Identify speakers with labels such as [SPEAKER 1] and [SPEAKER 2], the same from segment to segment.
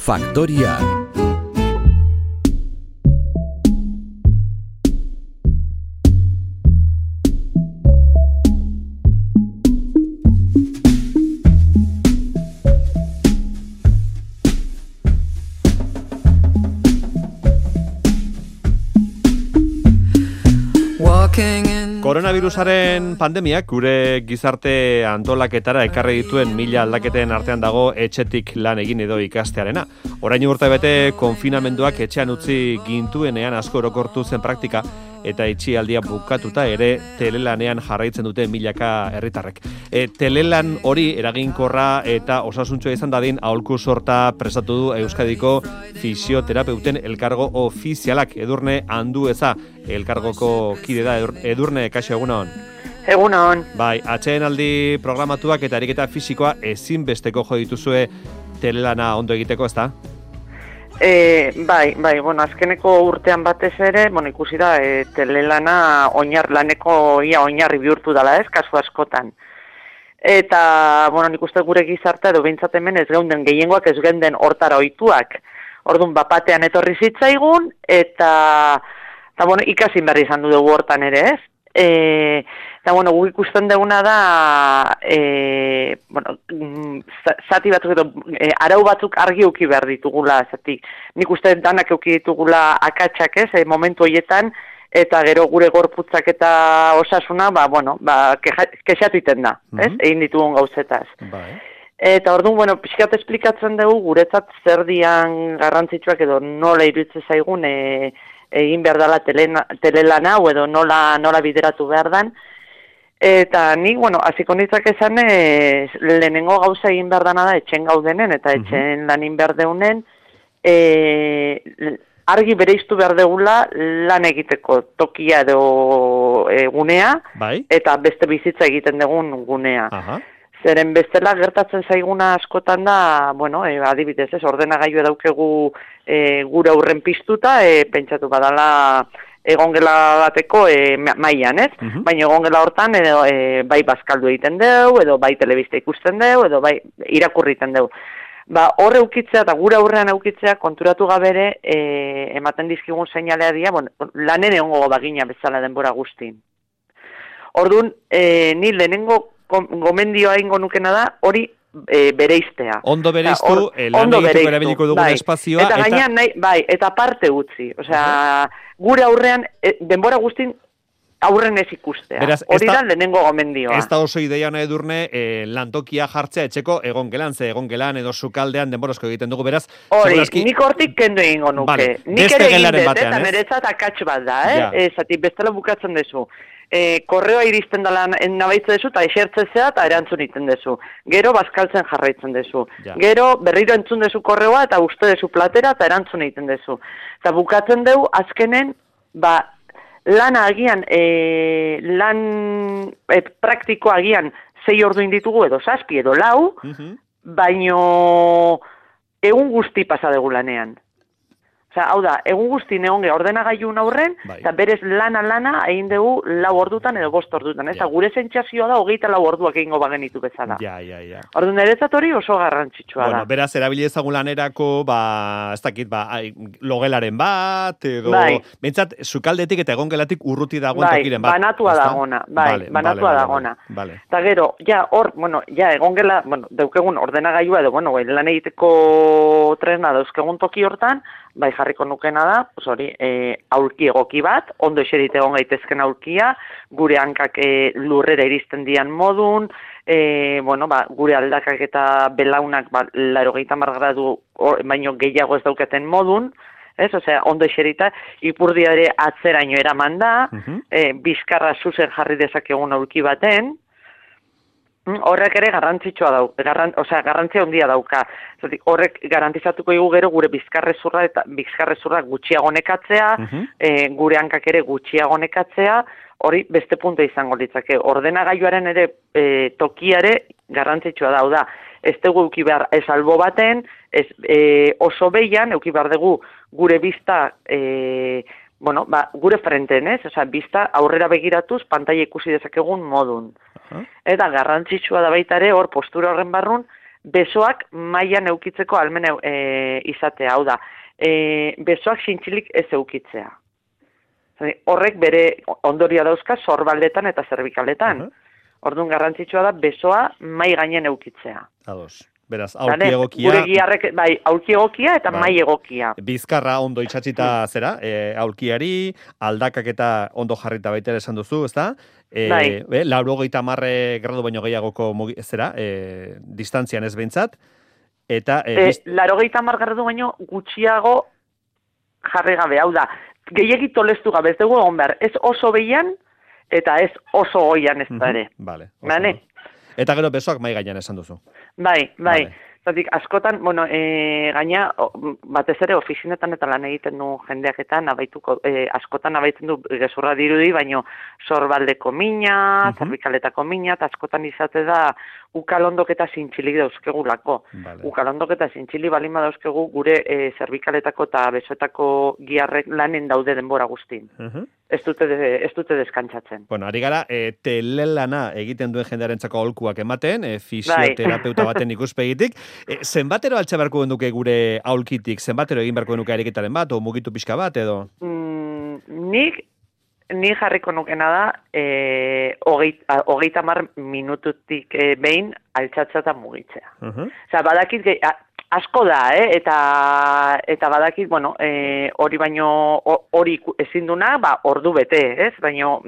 [SPEAKER 1] Faktoria.
[SPEAKER 2] Koronavirusaren pandemiak gure gizarte antolaketara ekarri dituen 1000 aldaketen artean dago etxetik lan egin edo ikastearena. Orain urtebete konfinamenduak etxean utzi gintuenean asko orokortu zen praktika eta itxialdia bukatuta ere telelanean jarraitzen dute milaka herritarrek. Telelan hori eraginkorra eta osasuntsua izan dadin aholku sorta prestatu du Euskadiko fisioterapeuten elkargo ofizialak. Edurne Andueza elkargoko kide da. Edurne, kaixo, egunon.
[SPEAKER 3] Egunon.
[SPEAKER 2] Bai, atsedenaldi programatuak eta ariketa fisikoa ezinbesteko jo dituzue telelana ondo egiteko, ezta?
[SPEAKER 3] Bai, azkeneko urtean batez ere, ikusi da, telelana laneko oinarri bihurtu dela, ez, kasu askotan. Eta, nik uste gure gizartea edo behintzat hemen ez geunden gehiengoak ez geunden hortara ohituak. Orduan, batean etorri zitzaigun, eta ikasin berri izan dugu hortan ere, ez? Eta, guk ikusten duguna da, zati batzuk edo arau batzuk argi euki behar ditugula, zati. Nik uste danak euki ditugula akatsak, ez, momentu horietan, eta gero gure gorputzak eta osasuna, kexatu iten da, ez, egin ditugun gauzetaz.
[SPEAKER 2] Bai.
[SPEAKER 3] Eta orduan, pixkat esplikatzen dugu, guretzat zer dian garrantzitsuak edo nola iruditzen zaigun, egin behar dela telelana, edo nola bideratu behar dan. Eta nik, hasiko nitzak esan, lehenengo gauza egin behar dana da, etxen gaudenen, eta etxen lanin behar deunen, argi bereiztu behar degula lan egiteko tokia edo gunea,
[SPEAKER 2] bai?
[SPEAKER 3] Eta beste bizitza egiten dugun gunea.
[SPEAKER 2] Aha.
[SPEAKER 3] Zeren bestela gertatzen zaiguna askotan da, adibidez, ordenagailu daukegu gure aurren piztuta, pentsatu badala egongela bateko mailan, ez? Baina egongela hortan bai bazkaldu egiten deu, edo bai telebista ikusten deu, edo bai irakurriten deu. Horre eukitzea eta gure aurrean eukitzea konturatu gabere ematen dizkigun seinalea dira, lanen egongo bagina bezala denbora guztin. Orduan, ni lehenengo gomendioa ingo nukena da, hori bereiztea.
[SPEAKER 2] Ondo bereiztu, lan egiteko erabiliko dugun espazioa.
[SPEAKER 3] Eta gainean, eta parte utzi. Gure aurrean, denbora guztin, aurren ez ikustea. Hori da lehenengo gomendioa.
[SPEAKER 2] Ez da oso ideia nahi Edurne, lantokia jartzea etxeko egongelan, ze egongelan edo sukaldean denborazko egiten dugu, beraz.
[SPEAKER 3] Hori, nik hortik kendu egingo nuke.
[SPEAKER 2] Vale.
[SPEAKER 3] Nik ere egin dut, eta niretzat akats bat da, zati bestela bukatzen dezu. Korreoa iristen dela nabaitze dezu, eta esertzezea eta erantzun iten dezu. Gero bazkaltzen jarraitzen dezu.
[SPEAKER 2] Ja.
[SPEAKER 3] Gero berriro entzun dezu korreoa eta uste dezu platera eta erantzun egiten dezu. Eta bukatzen dugu azkenen, lana agian, lan praktikoa agian 6 ordu inditugu edo 7 edo 4, baino egun guzti pasa dugu lanean. Hau da, egun guzti neonge ordenagailun aurren, eta berez lana egin dugu 4 ordutan edo 5 ordutan. Eta gure sentsazioa da 24 orduak egingo bagenitu bezala.
[SPEAKER 2] Ja.
[SPEAKER 3] Orduan niretzat hori oso garrantzitsua da.
[SPEAKER 2] Beraz, erabili ezagun lanerako, ez dakit, logelaren bat, edo... Bentsat, sukaldetik eta egongelatik urruti dagoen tokiren bat.
[SPEAKER 3] Banatua dagona. Banatua dagona. Eta gero, egongela, daukegun ordenagailua edo, lan egiteko tresna dauzkegun toki hortan, jarriko nukena da, aulki egoki bat, ondo eserite egon gaitezken aulkia, gure hankak lurrera iristen dian modun, gure aldakak eta belaunak 80 gradu baino gehiago ez daukaten modun, ondo eserita, ipurdia ere atzeraino eraman da, bizkarra zuzen jarri dezakegun aulki baten, horrek ere garrantzitsua garrantzia handia dauka. Horrek garantizatuko dugu gero gure bizkarrezurra gutxiago nekatzea, gure hankak ere gutxiago nekatzea, hori beste punto izango litzake. Ordenagailuaren ere tokiare garrantzitsua da. Ez dugu euki behar ez albo baten, oso behian euki behar dugu gure bizta gure frenten, bizta aurrera begiratuz pantaila ikusi dezakegun modun. Eta garrantzitsua da baita ere, hor postura horren barrun, besoak mailan eukitzeko almen izatea, hau da, besoak zintzilik ez eukitzea. Horrek bere ondoria dauzka sorbaldetan eta zerbikaletan. Orduan garrantzitsua da besoa mai gainen eukitzea.
[SPEAKER 2] Ados. Beraz, aulki egokia...
[SPEAKER 3] Gure giharrek, bai, aulki egokia eta mai egokia.
[SPEAKER 2] Bizkarra ondo itxatxita zera, aulkiari, aldakak eta ondo jarrita baita esan duzu, ezta?
[SPEAKER 3] Bai.
[SPEAKER 2] 90 gradu baino gehiagoko zera, distantzian ez behintzat. Eta...
[SPEAKER 3] 90 gradu baino gutxiago jarri gabe, hau da, gehiagi tolestu gabe, ez dugu egon behar, ez oso behian, eta ez oso goian ez da ere.
[SPEAKER 2] Vale. Eta gero besoak mai gainean esan duzu.
[SPEAKER 3] Bai. Zatik, askotan, gaina, batez ere ofizinetan eta lan egiten du jendeak eta askotan nabaitzen du gezurra dirudi, baino sorbaldeko mina, zerbikaletako mina, eta askotan izate da ukalondok eta zintxilik dauzkegulako. Ukalondok eta zintxilik balima dauzkegu gure zerbikaletako eta besoetako giharrek lanen daude denbora guztin. Ez dute deskantzatzen.
[SPEAKER 2] Bueno, ari gara, telelana egiten duen jendearentzako aholkuak ematen, fisioterapeuta baten ikuspegitik. Zenbatero altxa beharko genuke gure aholkitik? Zenbatero egin beharko genuke ariketaren bat, o mugitu pixka bat, edo?
[SPEAKER 3] Ni jarriko nukena da, 30 minututik behin altxatza eta mugitzea. Osa, badakit, asko da, eta badakit, hori baino, hori ezin duna, ordu bete, ez? Baino,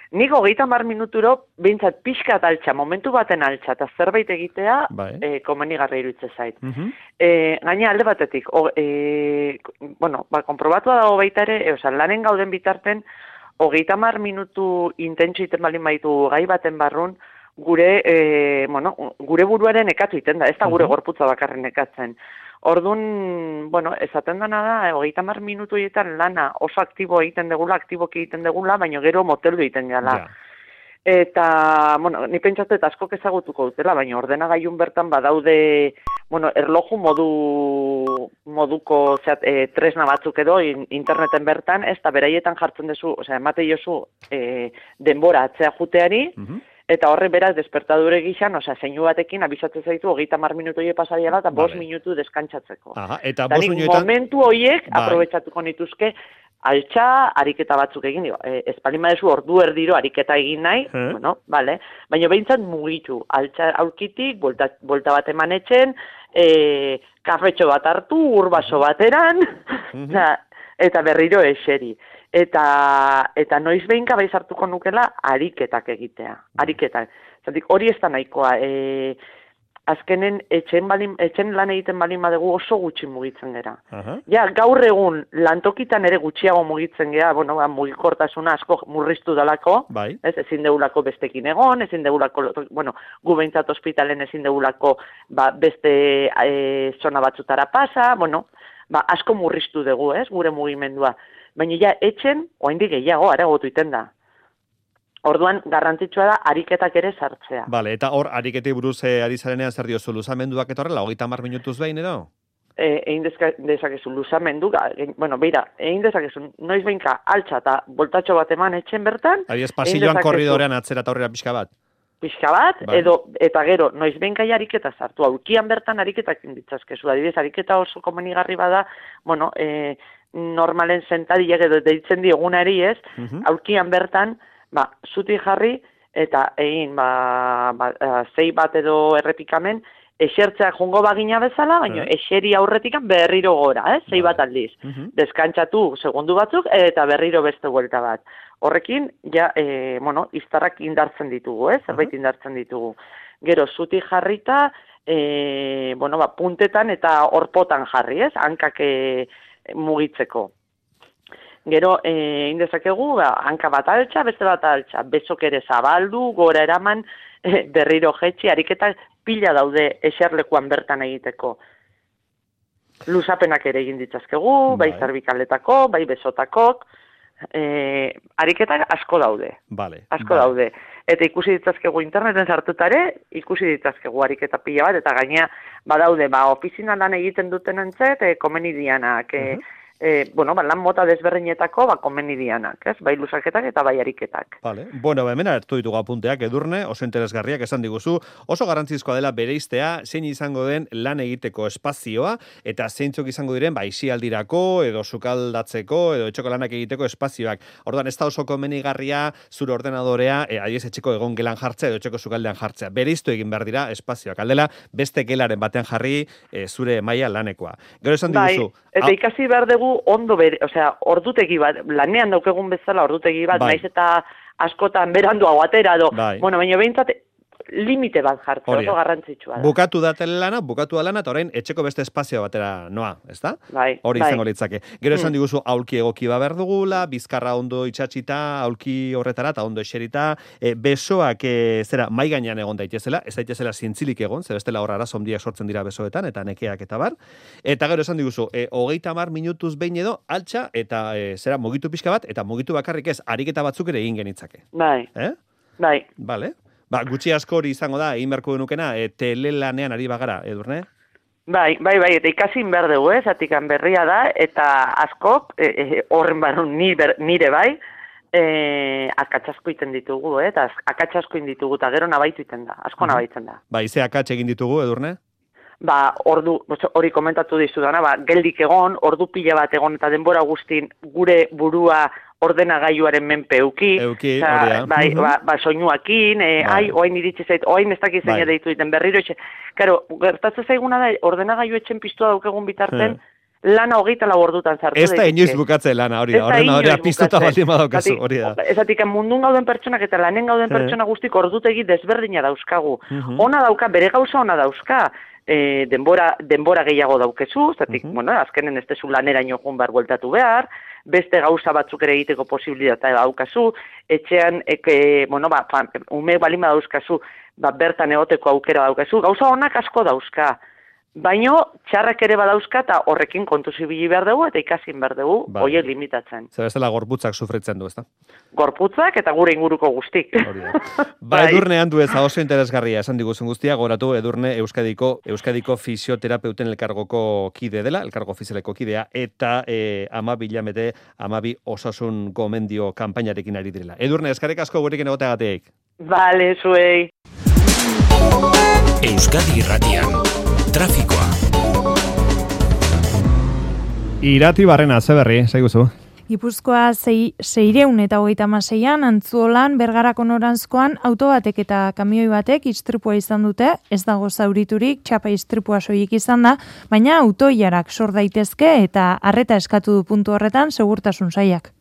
[SPEAKER 3] nik 30 minuturo, behintzat pixka altxa, momentu baten altxa, eta zerbait egitea, komenigarra iruditze zait. Gaina alde batetik, konprobatua dago baita ere, lanen gauden bitarten, 30 minutu intentsio iten balin baitu gai baten barrun, gure buruaren nekatu iten da, ez da gure gorputza bakarren nekatzen. Orduan, esaten dena da, 30 minutu egiten lana oso aktibo egiten degula, aktiboki egiten degula, baina gero moteldu egiten gala. Eta, ni pentsatu eta askok ezagutuko dutela, baina ordenagailun bertan badaude, erloju moduko tresna batzuk edo interneten bertan, ez da beraietan jartzen duzu, emate jozu denbora atzea juteari, eta horre beraz despertadure gixan, zeinu batekin abisatzen zaitu 30 minutu horiek pasariala eta 5 minutu deskantzatzeko.
[SPEAKER 2] Eta
[SPEAKER 3] momentu horiek aprobetsatuko nituzke altxa, ariketa batzuk egin, espalin badezu ordu erdiro ariketa egin nahi, baina behintzat mugitu, altxa aurkitik, bolta bat eman etxen, kafetxo bat hartu, urbaso bateran, eta berriro eseri. Eta noiz behinka bai sartuko nukela ariketak egitea. Ariketak. Zatik, hori ez da nahikoa. Azkenen, etxen lan egiten balin badegu oso gutxi mugitzen gera. Ja, gaur egun lantokitan ere gutxiago mugitzen gera, mugikortasuna asko murriztu dalako, ezin deulako bestekin egon, ezin deulako, gu behintzat ospitalen ezin deulako beste zona batzutara pasa, asko murriztu dugu, gure mugimendua. Baina ja, etxen, oraindik gehiago, areagotu iten da. Orduan, garrantzitsua da, ariketak ere sartzea.
[SPEAKER 2] Bale, eta hor, ariketei buruz ari zarenean zer diozu, luzamenduak etorrela, 30 minutuz behin edo?
[SPEAKER 3] Egin dezakezu, luzamendu, egin dezakezu, noiz behinka altxa eta boltatxo bat eman etxen bertan.
[SPEAKER 2] Adiez, pasilloan korridorean atzera eta horrela pixka bat.
[SPEAKER 3] Pixka bat, eta gero, noiz behinka ariketa sartu, aulkian bertan ariketak inditzazkezu. Adibidez, ariketa oso komenigarri bada, normalen sentadilek edo deitzen diogunari ez, aulkian bertan, zuti jarri, eta egin, zei bat edo errepikamen, esertzea jongo bagina bezala, baina eseri aurretikan berriro gora, zei bat aldiz. Deskantzatu segundu batzuk, eta berriro beste buelta bat. Horrekin, ja, iztarrak indartzen ditugu, zerbait indartzen ditugu. Gero, zuti jarrita, puntetan eta horpotan jarri, hankak mugitzeko. Gero, indezakegu, hanka bat altxa, beste bat altxa, bezok ere zabaldu, gora eraman, berriro jetxi, ariketak pila daude eserlekuan bertan egiteko. Luzapenak ere egin ditzazkegu, bai zerbikaletako, bai besotakok, ariketak asko daude. Asko daude. Eta ikusi ditzazkegu interneten sartutare, ikusi ditzazkegu ariketa pila bat, eta gaina badaude, ofizina lan egiten duten entzet, komeni dianak, lan mota desberdinetako komeni dianak, ez? Bai luzaketak eta bai ariketak.
[SPEAKER 2] Vale. Bueno, hemen hartu ditugu apunteak Edurne, oso interesgarriak esan diguzu, oso garrantzizkoa dela bereiztea zein izango den lan egiteko espazioa eta zeintzuk izango diren aisialdirako edo sukaldatzeko edo etxeko lanak egiteko espazioak. Orduan ez da oso komenigarria zure ordenadorea adiez etxeko egongelan jartzea edo etxeko sukaldean jartzea. Bereiztu egin behar dira espazioak. Aldela beste gelaren batean jarri zure maila lanekoa. Gero esan diguzu.
[SPEAKER 3] Eta ikasi behar dugu ondo ordutegi bat, lanean daukegun bezala ordutegi bat, naiz eta askotan beranduago atera do. Bueno, baina behintzat limite bat jartzen, oso garrantzitsua da.
[SPEAKER 2] Bukatu da lana, eta orain etxeko beste espazio batera noa, ezta? Hori izango litzake. Gero esan diguzu aulki egoki behar dugula, bizkarra ondo itxatxita, aulki horretara eta ondo eserita, besoak mai gainean egon daitezela, ez daitezela zintzilik egon, ze bestela hor arazo handiak sortzen dira besoetan, eta nekeak eta bar. Eta gero esan diguzu, 30 minutuz behin edo, altxa, eta mugitu pixka bat, eta mugitu bakarrik ez, ariketa batzuk ere egin genitzake.
[SPEAKER 3] Bai.
[SPEAKER 2] Vale. Gutxi asko hori izango da, egin beharko denukena, telelanean ari bagara, Edurne?
[SPEAKER 3] Bai, eta ikasin behar dugu, zatikan berria da, eta askok, horren barun nire bai, akatsasko iten ditugu, eta akatsasko inditugu, eta gero nabaitu iten da, asko nabaitzen da.
[SPEAKER 2] Ze akats egin ditugu, Edurne?
[SPEAKER 3] Hori komentatu dizudana, geldik egon, ordu pila bat egon, eta denbora guztin gure burua ordenagailuaren menpe euki, soinuakin, oain iritsi zait, oain ez dakiz zein deitu diten berriro etxe. Karo, gertatzen zaiguna da, ordenagailu etxen piztua daukegun bitarten, lana 24 ordutan sartu.
[SPEAKER 2] Ez da inoiz bukatzen lana, hori da, ordenagailu piztuta baldin badaukazu, hori da.
[SPEAKER 3] Ezatik, mundun gauden pertsonak eta lanen gauden pertsona guztik ordutegi desberdina dauzkagu. Ona dauka, bere gauza ona dauzka, denbora gehiago daukezu, zatik, azkenen ez tezu laneraino joan behar bueltatu behar, beste gauza batzuk ere egiteko posibilitatea daukazu, etxean, ume balin badauzkazu, bertan egoteko aukera daukazu, gauza honak asko dauzka. Baino, txarrak ere badauzka eta horrekin kontu zibili behar dugu eta ikasin behar dugu, horiek limitatzen.
[SPEAKER 2] Zer bestela gorputzak sufritzen du, ezta?
[SPEAKER 3] Gorputzak eta gure inguruko guztik.
[SPEAKER 2] Edurne handu ez, oso interesgarria esan diguzun guztia, goratu Edurne Euskadiko fisioterapeuten elkargoko kide dela, elkargo ofizialeko kidea, eta 12 osasun gomendio kanpainarekin ari direla. Edurne, eskarek asko gurekin egoteagatik.
[SPEAKER 3] Bale, zuei.
[SPEAKER 1] Euskadi Irratian. Trafikoa.
[SPEAKER 2] Irati Barrena, ze berri, zaiguzu?
[SPEAKER 4] Gipuzkoa 636an Antzuolan Bergarako noranzkoan auto batek eta kamioi batek istripua izan dute, ez dago zauriturik, txapa istripua soilik izan da, baina autoilarak sor daitezke eta arreta eskatu du puntu horretan segurtasun sailak.